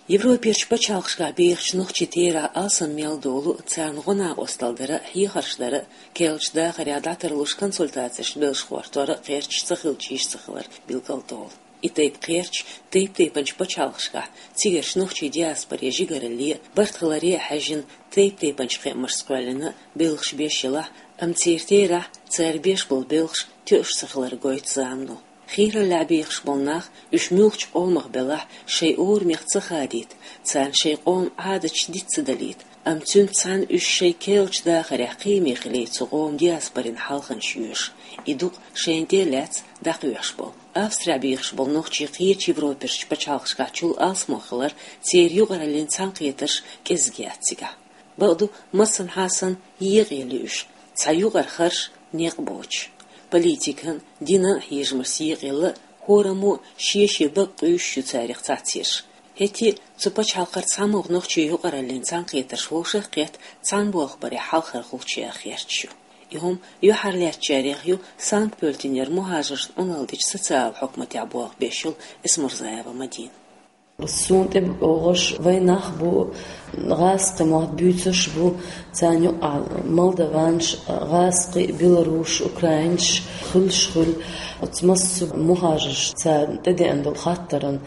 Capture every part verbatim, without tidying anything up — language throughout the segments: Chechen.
Европерчу пачхьалкхашкахь бехачу нохчийн терахь алсам мел долу, царна гӀо-накъосталла дар а, хьехарш дар а, керлачу дахарехь дӀатарлуш консультацеш белшахортор а кхерчаш ца хилча йиш ца хилар билгалдолу. И тайпа кхерчаш тайп-тайпанчу пачхьалкхашкахь цигарчу нохчийн диаспорин жигаралле а, барт хиларе а хьаьжжина, тайп-тайпанчу кхиамашца кхоьллина белхаш беш елахь а, амма церан терахь, цара беш болу белхаш тоьуш ца хилар гойту замано. Хийраллехь бехаш болу нах, уьш муьлххачу къомах белахь, шайн орамех ца хадийта, царна шайн къоман Ӏадаташ диц ца далийта, амма цуьнца цхьаьна уьш шайн керлачу дахарехь кхиаме хилийта цу къоман диаспорин хьалханаш йоьшу. И дукъ шайна тӀе а лаьцна дӀакхоьхьуш болу. Австрехь бехаш болу нохчий кхечу Европерчу пачхьалкхашкахь чул алсамо хилар, церан юкъараллин цхьаьнакхетарш кӀезиг яц цигахь. Бакъду, массанхьа санна, екъаелла ю уьш, цхьа юкъара харш, некъ боцуш. Политикан, динан а хьежамашца екъаелла, хӀораммо шен-шен бакъ къуьйсуш ю царах цхьацца ерш. ХӀетте а цу пачхьалкхара цхьамогӀа нохчийн юкъараллин цхьаьнакхетарш вовшах а кхетта, цхьаьна болх барехь хьалхара гӀулчаш яха гӀерташ ю. И хӀума юьхьарлаьцначарех ю Санкт-Пёльтенера мухӀажаршна Ӏуналла дечу социалан хьукматехь болх беш йолу Эсмурзаева Мадина. Суна тӀе богӀуш вайн нах бу, гӀазкхийн мотт буьйцуш бу, царна юкъахь молдаванаш, гӀазкхий, белорусаш, украинаш хуьлуш хуьлу. Оцу массо а мухӀажарша царна тӀедеана долу хаттаран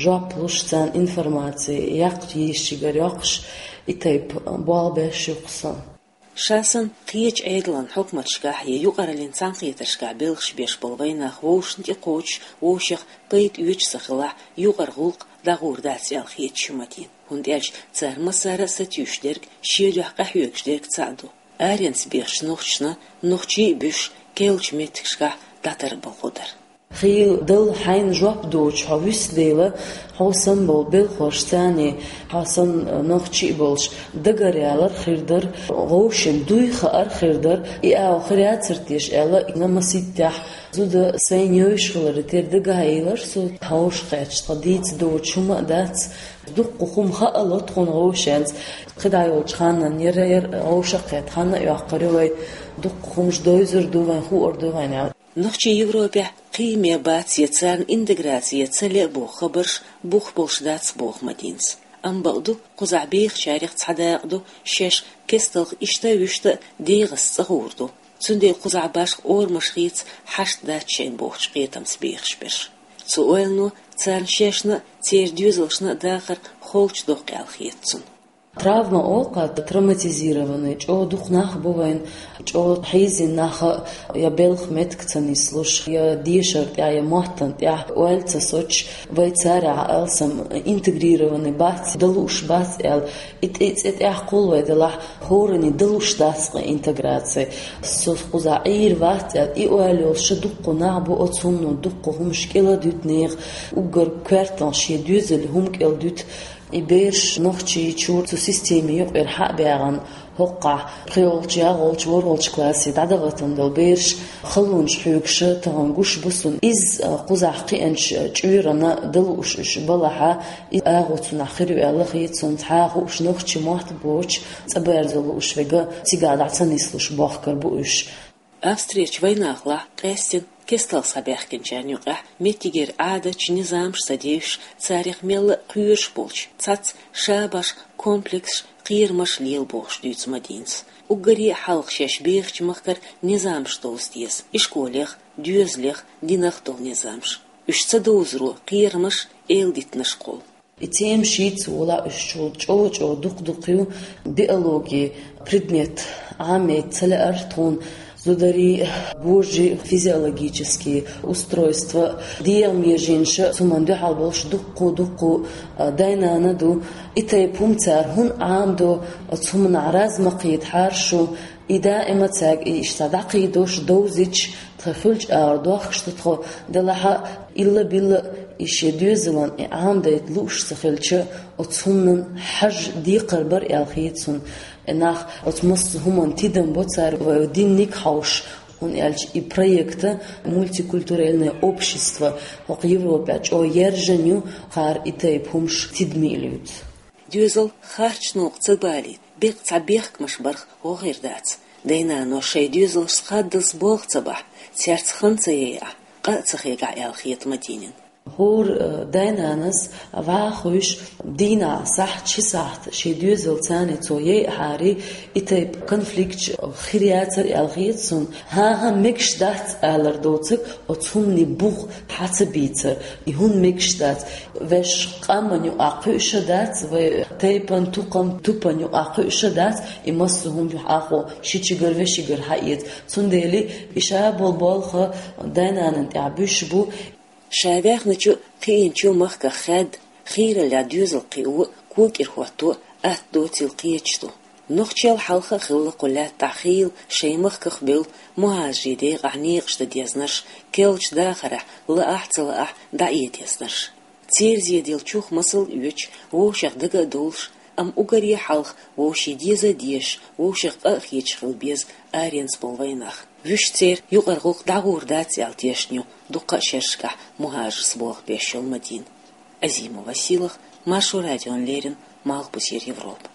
жоп луш, царна информаци яккха йийшигара йоккхуш, и тайпа болх беш ю-кх со. Ша санна, кхечу Ӏедалан хьукматашкахь я юкъараллин цхьаьнакхетаршкахь белхаш беш болу вайн нах вовшашна тӀе кхочуш, вовшех пайда оьцуш ца хилахь, юкъара гӀуллакх дӀагӀур дац аьлла хеташ ю Мадинас. ХӀунда аьлча цара массара а сатуьйсуш дерг, шен дуьхьа къахьоьгуш дерг цхьаъ ду. Аренца бехачу нохчашна, нохчий а буьсуш, керлачу меттигашкахь дӀатарбалхо дар. Хийла дала хьайна жоп доцуш хьо вуьсу дела, хьо санна болу белхалш царний, хьо санна нохчий а болуш, дагаръялар хир дара, вовшийн дуй хаар хир дара, и агӀо хир яцара теша аьлла, и маситтехь зуда сайна йовзуш хилар, тера дагахь а йилар со, хьовша кхетча, тхан дийца доцуш хӀума а дац, дуккха хӀума хаало тхуна вовшеца, кхидӀа йолчу ханна яра, яра вовшах а кхетта, ханна а йоккхур ю вай, дуккха хӀумаш довзур ду вайн, хуур ду вайн аьлла. Нохчий Европехь кхиаме бац я царна интеграци ца ле а боху хабарш бух болуш дац боху Мадинас. Амма бакъ ду, кхузахь бехачарех цхьа дакъа ду, шаьш кесталх иштта а вуьшта а дегӀаца цӀа гӀур ду. Цундела кхузахь башха орамаш хийца хьашт дац шайна бохучу кхетамца бехаш берш. Цу ойлано царна шайшна а, церан доьзалшна а дахар холчу доккху аьлла хета цунна. Травма олу-кх, травматизированный, чӀогӀа дукха нах бу вайн, чӀогӀа хьийзина нах а, я белхан меттиг ца нислуш, я дешар тӀехь, я моттан тӀехь ойла ца соцуш, вай царехь алсам интегрированный бац, далуш бац аьлла, и тӀе, цӀе тӀехь кхул вай делахь, хӀоранна далуш дац-кх интеграци. Со кхузахь Ӏийр вац аьлла, и ойла йолуш дуккха нах бу, оцу хӀумано дуккха хӀумаш кӀела дуьту нехан, уггар коьртанах шен доьзалан хӀума кӀела дуьту. И бераш Нохчийчуьра цу системин юкъера хьа а баьгӀна, хӀокхахь пхоьалгӀачу, ялхолгӀачу, ворхӀолгӀачу классе дӀадахийтина долу бераш халонаш хьоьгуш тахана гуш бу суна. Иза, а, кхузахь кхиъначу чуьрана далуш уьш балахь, и агӀо цунах хир ю аьлла хета суна, цхьа а хууш нохчийн мотт боцуш, цӀа берзо лууш верг а цигахь дӀа ца нислуш бохкур бу уьш. Австрерчу вайнахалахь къаьстина кесталх схьабаьхкинчарна юкъахь меттигера Ӏадаташ, низамаш ца девзаш, царах мелла а кхоьруш болчу цхьацца шабаш, комплексаш, кхерамаш лела бохуш дуьйцу Мадинас. Уггаре а хьалха шаьш бехачу махкара низамаш довза деза, ишколех, доьзалех, динах долу низамаш. Уьш ца довзаро кхерамаш, эладитанаш кхолла. И тема шийтта волахь уьш чул чӀогӀа-чӀогӀа дукха-дукха ю, биологи предмет Ӏамийта ца лаьара тхуна, зударий, божий физиологический устройство, дегӀан меженаш а, цу хӀуманна дуьхьал болуш дуккха-дуккха, а, дай-нана ду. И тайпа хӀума цара хӀунда Ӏамадо, оцу хӀуманах разма кхетахьара шу, и даима цаьрга и иштта дӀакхийдош, довзуьйтуш, тхан хуьлучу агӀор дохкуш ду тхо, делахь а, илла-билла а и шен доьзална и Ӏамадайта лууш ца хилча, оцу хӀуманан хьажа декхар бара аьлла хета суна. И нах оцу массо а хӀуманна тидам бо цара, вай динниг хьовш, хӀунда аьлча и проект мультикультуральное общество хӀокху Европехь чӀогӀа яржийна ю, кхара и тайпа хӀумаш тидаме а луьйцу. Доьзал харц новкъа ца балийта, беккъа цхьа бехкамаш барх гӀо хир дац. Дай-нано шайн доьзалшца хаддаза болх ца бахь, цаьрца хан ца яйахь, къа а ца хегахь аьлла хета Мадинина. ХӀора дай-нанас вӀашагӀкхуьйсуш дийнахьа сахьт, ши сахьт шен доьзалца царна цо яйахьара, и тайпа конфликташ хир яцар аьлла хета суна. ХӀан-хӀа, мегаш дац алар доцург оцу хӀуманийн бух хьа ца бийцар. И хӀунда мегаш дац? Вайша къаман юкъахь кхуьуш а дац, вай тайпан, тукхаман, тупан юкъахь кхуьуш а дац, и массо а хӀума юха Ӏахо шичигара вешигара хьаэца. Цундела и ша болу болх дай-нанна тӀехь буьсуш бу. Ша ваьхначу а, кхиъначу а махках хаьдда, хийраллехь доьзал кхио а, кога кӀира хӀотто а атта доцийла кхеташ ду. Нохчел хьалха а хилла кху лаьттахь хийла шайн махках бевлла мухӀажарийн декъехь некъаш дан дезнарш, керлачу дахарехь, лаахь а, ца лаахь а, дӀаэца дезнарш. Церан зеделлачух масал а оьцуш, вовшех дага а довлуш, амма уггаре хьалха вовшийн деза а дезаш, вовшех къа а хеташ хила беза аренца болу вайнах. Вуьшта церан юкъара гӀуллакх дӀагӀур дац аьлла тешна ю дуккха а шерашкахь мухӀажарца болх беш йолу Мадина. Азимова Сийлаха, Маршо радиона леррина, Малхбузера Европа.